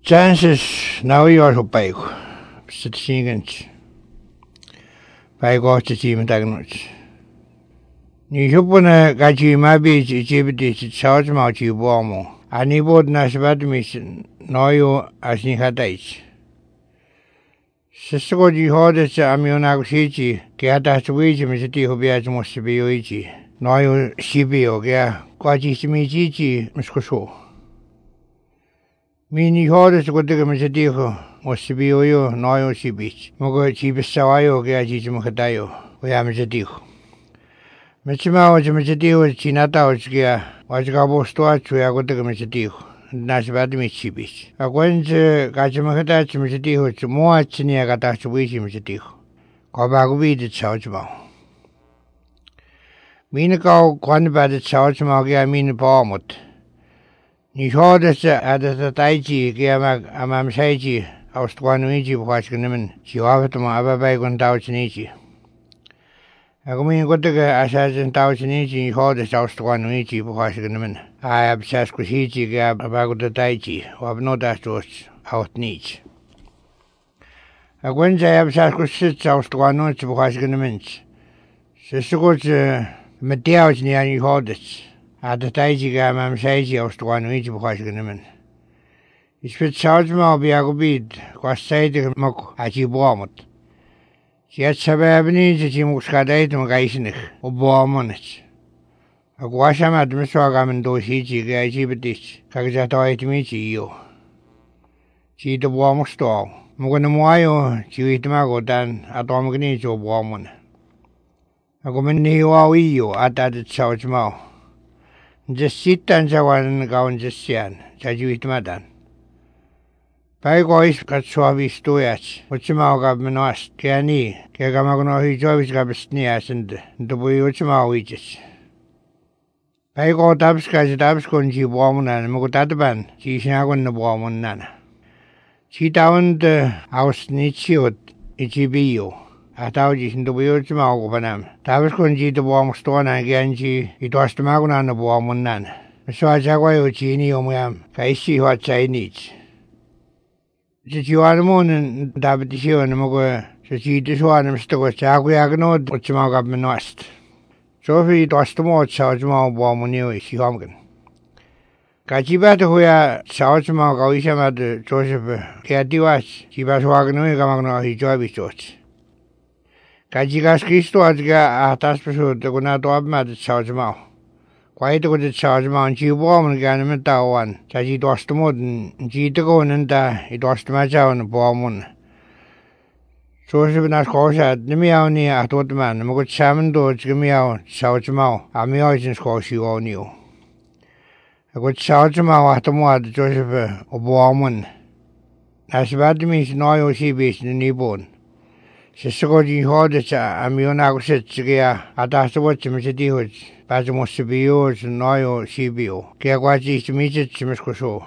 Chances now you're so big. Sit singing. By God to see me diagnosed. Ni hupuna gaji mabi jibiti charge mauchi warmo. Ani bod nasbad mission no you as ni hadais. Sisko ji hodes amionagusiji, Gata Swiji Missiti Hubias Mosibioiji, no you shibio, Gea, Quaji Simiji, Muscoso. Mini hodes go to Missitiho, Mosibio, no you shibich, Mogo Chibisawayo, Gea Jimukadayo, we are Missitiho. Mitsima was Missitio, Chinata, Gea, was Gabo Stuart, we are going to Missitiho. Nasbad Michibis. A Gwen's Gajamakatach Missitiho, to more Chinia Gatash Wishi Missitiho. Cobagobi the Chouchmo. Minako, Quanba the Chouchmo, I mean Palmut. Nishodas at the Taiji, Giamak Amam Saiji, Austranuiji, Washington, she offered to my Ababagon Tauchinichi. I go in good to get Assassin Tauchinichi, Hodas Austranuiji, Washington. I have Saskwichi gab about the Taiji, or no dastos out niche. A Wednesday I have Saskwichits out to one note of Washington. Sister Matthias near you holdits. At the Taiji gab am Saiji out to one each of Washington. It's fit charge more be a good bead, was say the mock at you warmut. She had Sababini, the Jimuskadate, Gaisnik, or Bormonich. A guasham at Misswagam and Doshichi, Gajibitis, Kagatoitimichi, you. She the warm stall. Muganamayo, Chiwitamago dan Atomagnis or Warmon. A Gomini you at that South Mouth. Just sit and Jawan gown just sian, Jajuit Madan. By gois got suavi stoyach, which Maugav asked, Kiani, Kagamagno, he joys gabsnias and the Buyuchmawiches. I go Dabska, Dabsconji woman and Mugataban, she snagon the woman nana. She downed the house nichiot, Ichibio, at Aujis in the wheels Magobanam. Dabsconji the warm stone and Ganji, it was the Magon and the woman nana. So I Jagwayo Chini Omiam, Kaishi what Chinese. Did you are the moon and Dabitisio and Mogo, so she diswaned him to go Jagwagno, which Magab West. Sophie was the more Southmore Warmonu, she homgan. Kajibat, who are Southmore Goisham Joseph Kadiwas, she was wagging Gamagno, he joy church. Kajigas Christo at Taspasu, the Gunadom at Southmore. Quite with the Southmore, she warm and Ganamata one, Saji was the modern, she to go and it was the match on the Bormon. So she was not cautious at the meow at what man, and good salmon doors, meow, South Mouth, a meow squash you all knew. A good South Mouth at the mud, Joseph of Warman. As bad means no she beast in the bone. She saw the hordes, a meonagus, at afterwards, Mr. Dewitz, but must be yours, no she be. Kiaquaji to meet it, Misko.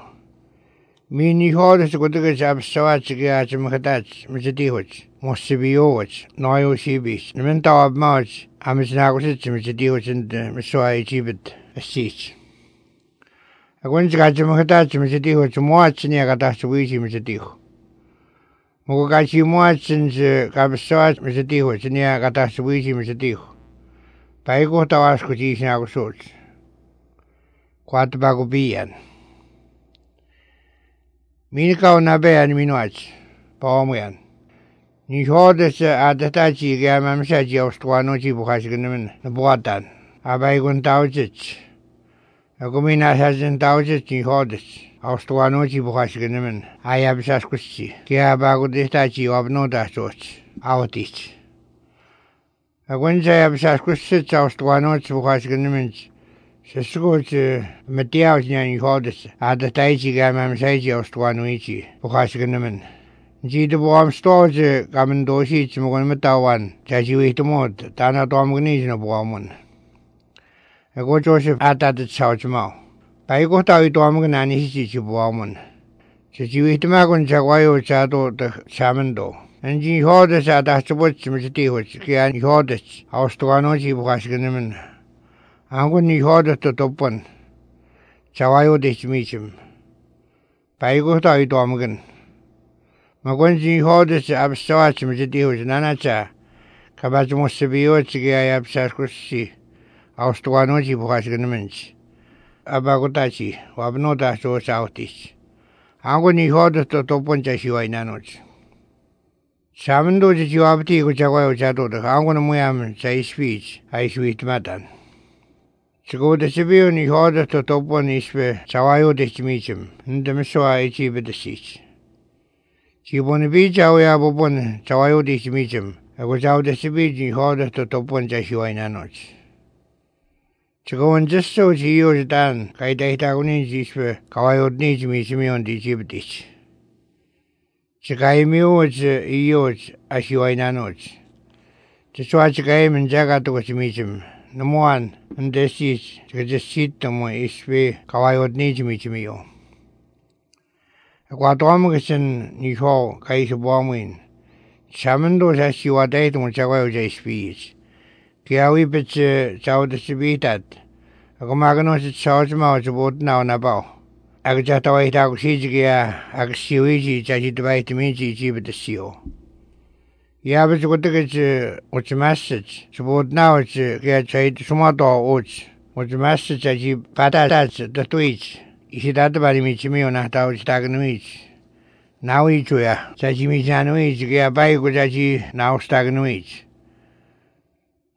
Mini hordes go to get up so at Mukatach, Mr. Dewitz. Must be yours, no you she beast. The mental of March, I miss Nagosit, Mr. Dewitz and Messiah Gibet, a seat. I went to get Mukatach, Mr. Dewitz, to watch near Gatash Wishi, Mr. Dew. Mugachi March and Gabasat, Mr. Dewitz, near Gatash Wishi, Mr. Dew. By go to ask what he's now sorts. Quite bagobian. Minika na be and Minuach, Palmian. Ni hordes at the Tachi Gamam Saji of Stuanochi Buhashigan, the Boatan, Abaygun Taujich. A Gomina hasn't Taujich in hordes, of Stuanochi Buhashigan, I have Sasquischi, Kiabago de Tachi of no dastos, out it. A Wednesday have Sasquischi of Stuanochi Buhashigan. Sescoch Matthias and Hordes at the Taiji Gamam Saji of Stuanuichi, Buhashigan. G the warm stores coming doshi to Mugamatan, Taji to mod, Tana Domganation of Warman. A good Joseph at the South Mouth. By go to Domgan and his Warman. Says you eat Magon Jaguayo Chato the Shamando. And G Hordes at afterwards, Mr. Which can Hordes, our Stuanochi Buhashigan. I'm going to order to open. Chawayo de Chimichim. 바이고다 이도 아무근 마건지 호드스 압사와치 무지디우즈 나나차 가바즈 모스비오 지게야 압사스쿠시 아우스토와노지 부가시그는지 아바고다치 와브노다 조사우티스 아고니 호드스 또 번째 시와이나노지 사문도지 지와브티고 자과요 자도드 아고는 모야면 자이스피지 아이스위트마단 지고드 시비오니 호드스 또 번이 스페 자와요 데치미즘 인데미스와 이치베드시지 지본이 비자오야 보본 자와요 데치미즘 아고 자오드 시비지 호드스 또 번째 시와이나노지 지고원 제스오 지요지단 가이다히다고니 지스페 가와요 니지미지미온 디지베디시 지가이미오즈 이오즈 아시와이나노즈 지수아 지가이면 자가도 지미즘 너무한 은데시 지가제시트모 이스베 가와이옷니지미지미요 과도아무겠은 니호 가이시 보아무인 자문도 자시와 다이동 자과요 자이스비즈 기아위베츠 자우드시비ታት 아고마그노스 차오즈마오즈 못나오나바오 아그자타와이타고 시지기야 아그시위지 자지드바이트민지 지브드시오 야베즈 고뜨게즈 오츠마스즈 주보드나오즈 그야 자이드 수마도 오즈 오츠마스 자지 바다다즈 더트위즈 이시다드바리미치미오나 다오지 다그누이즈 나위주야 자지미자누이즈 그야 바이고 자지 나오스다그누이즈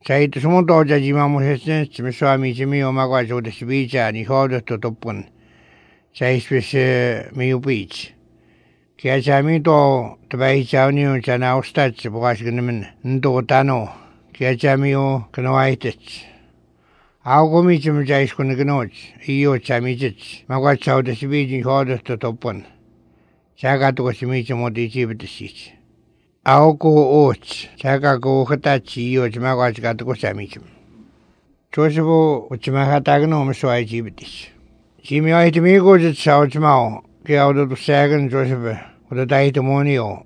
자이드 수마도 자지마모세스 지미수아미지미오 마과조드시비자 니호드토 도쁜 자이스페스 미우비치 기아자미도 드바이자우니오 자나우스타츠 보가시그는 인도다노 기아자미오 그노아이트츠 아우고미쯤 자이스코는 그노츠 이오 자미즈츠 마과차우드시비지 호드스토 도쁜 자가도고시미지 모디지브드시치 아우고 오츠 자가고 흐타치 이오즈 마과지가도고 자미즘 조스보 우츠마하다그노 옴스와이지브디시 지미와이트 미고즈 차오즈마오 기아오도도 새근 조스베 오도다이트 모니오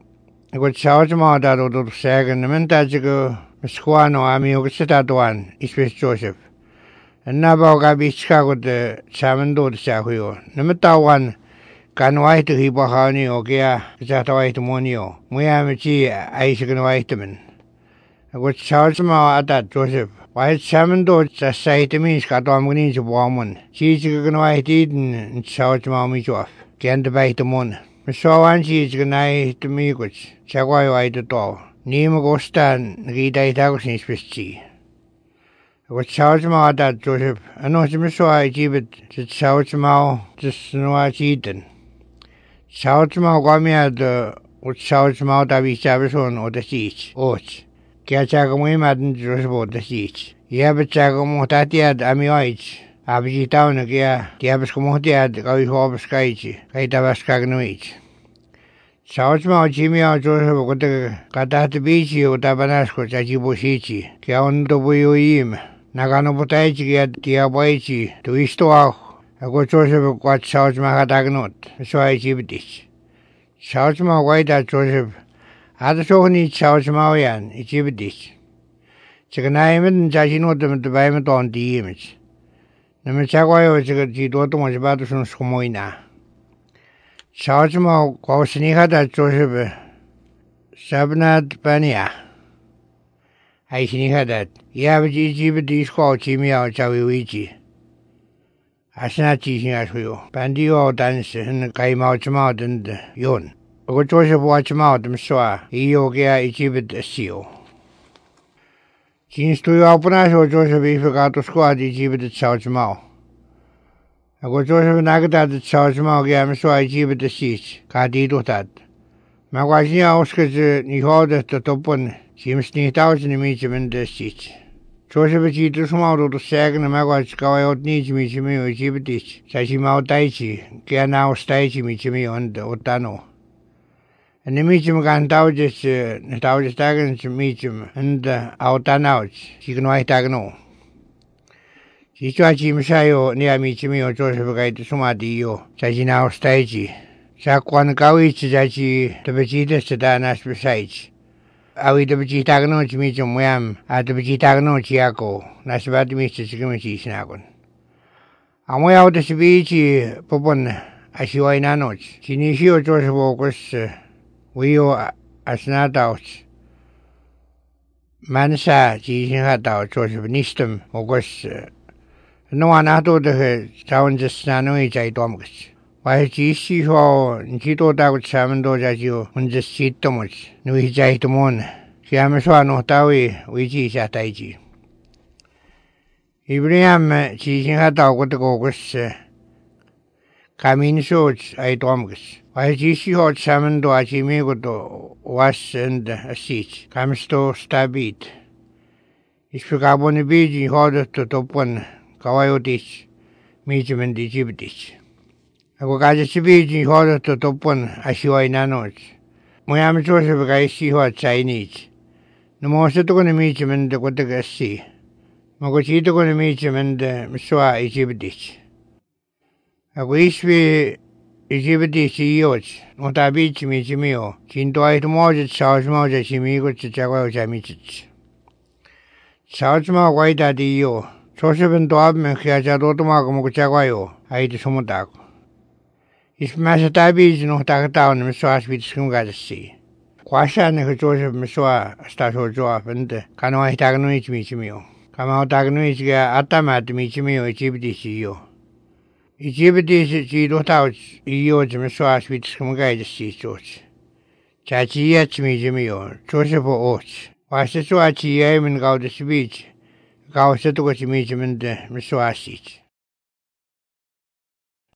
이거 차오즈마오다도도 새근 멘타지그 미스코아노 아미오그스타도안 이스페스 조셉 엔나바오가 비치카고드 차문도드 차후요 느메타완 간와이트 히바하니오 기아 자타와이트 모니오 무야미치 아이시근와이트면 이거 차오즈마오 아다 조셉 와이트 차문도 자사이트민스 가도아무니지 보아문 지지그근 와이트이든 차오즈마오미 조합 겐드바이트몬 미소완 지지그 나이트 미고치 자과요 와이트도 니무고스탄 기다이타고 신스페스지 이거 차오즈마오다 조셉 아노지 미소와이 집에 차오즈마오 지스누와 지든 차오즈마오 과미아드 차오즈마오 다비샤베손 오다시치 오치 기아차가모이 마든 조스보다시치 이아베차가모 타티아드 아미와이치 아비지타우는 기아베스코모티아드 가위호업스카이치 가이타바스카그노이치 차오즈마오 지미아오 조스보 그때 가타트 비치 오타바나스코 자지보시치 기아온도 부유임 나가노보타이치 기아 디아보이치 두이스토아오 아고 조스보 과 차오즈마가 다그노트 소아이치 비디치 차오즈마오 과이다 조스보 아드소니 차오즈마오얀 이지브디스 지금 나이면 자신오드면 바이면 돈 디임이지 너무 자과요 지금 지도도 뭐지 봐도 손 소모이나 차오즈마오 과오스니하다 조셉에 사브나드 바니아 아이시니하다 이아버지 이지브디스 과오지미아오 자위위지 아시나치 싱하소요 반디오 단스 흔 가이마오즈마오 든드 yon 오고 조셉 와치마오 듬스와 이오게야 이지브드시오 진스토요 아프나쇼 조셉 이프가도 스코아디 이지브드 차오즈마오 오고 조셉 나그다드 차오즈마오 게암스와 이지브드시치 가디도ታት 마과시야 오스케즈 니호데스 도폰 짐스니 타우즈니 미지멘데시치 조셉의 지드 수마오도 새그는 마과시 가와요 니지미지미요 이지브디치 자시마오 다이치 게아나오스타이치 미지미요 온데 오타노 Nimicim gantaujis taujis tagens micim and autanauj signoi tagno Sichuachi misayo nia micimio Joseph gaita sumadio sajinao stage Sakwan kawich jachi tabajita sadanas besides Awi tabaji tagno chimicum wam at tabaji tagno chiako nasibati mr sigamichi snagon Amoy out the sibichi popon Ashiwainanoch. Chinishio Joseph August, Wio Asnadouch. Mansa, Jishinhadou, Joseph Nistum, August. No one out of the town just Nanoi Jaidomus. Why Jishi ho, Jito Dao Chamando Jaju, on the seat too much, Nui Jaitomon. Siamaswa no Tawi, Wiji Sataiji. Ibrahim, Jishinhadou, what the August. Kamin shows I domus. Why Jishi hot salmon do Ajimigo was and a seat. Comes to stabit. Is Pagaboni beach in order to top one Kawayotis, medium and Digibitis. I will get a beach in order to top one Ashiwai nanos. My am Joseph I see what Chinese. No more so to go to medium and the Gotaga sea. Mogochito go to medium and Mswa Igibitis. I wish we Egypti CEOs, not a beach me Jimio, Chintoy to Moses, Southmo, Jimigo to Jaguar Jamichits. Southmo, white at you, Joseph and Dob, and Hiajadotomago Jaguayo, I eat Sumotago. If Massatabi is not a town, Mswas with Sungasi. Quasha and Joseph Mswa, Stato Joab, and Canoa Tagnoich Michimio. Come out Tagnoich Atamat Michimio, Egypti CEO. Egypti Giro out, Eos Mswas with Skungai Sea Church. Chachi Yachmi Jimio, Joseph Oats. Was the Swachi Yaman Gauda speech? Gausa to what you meet him in the Mswasit.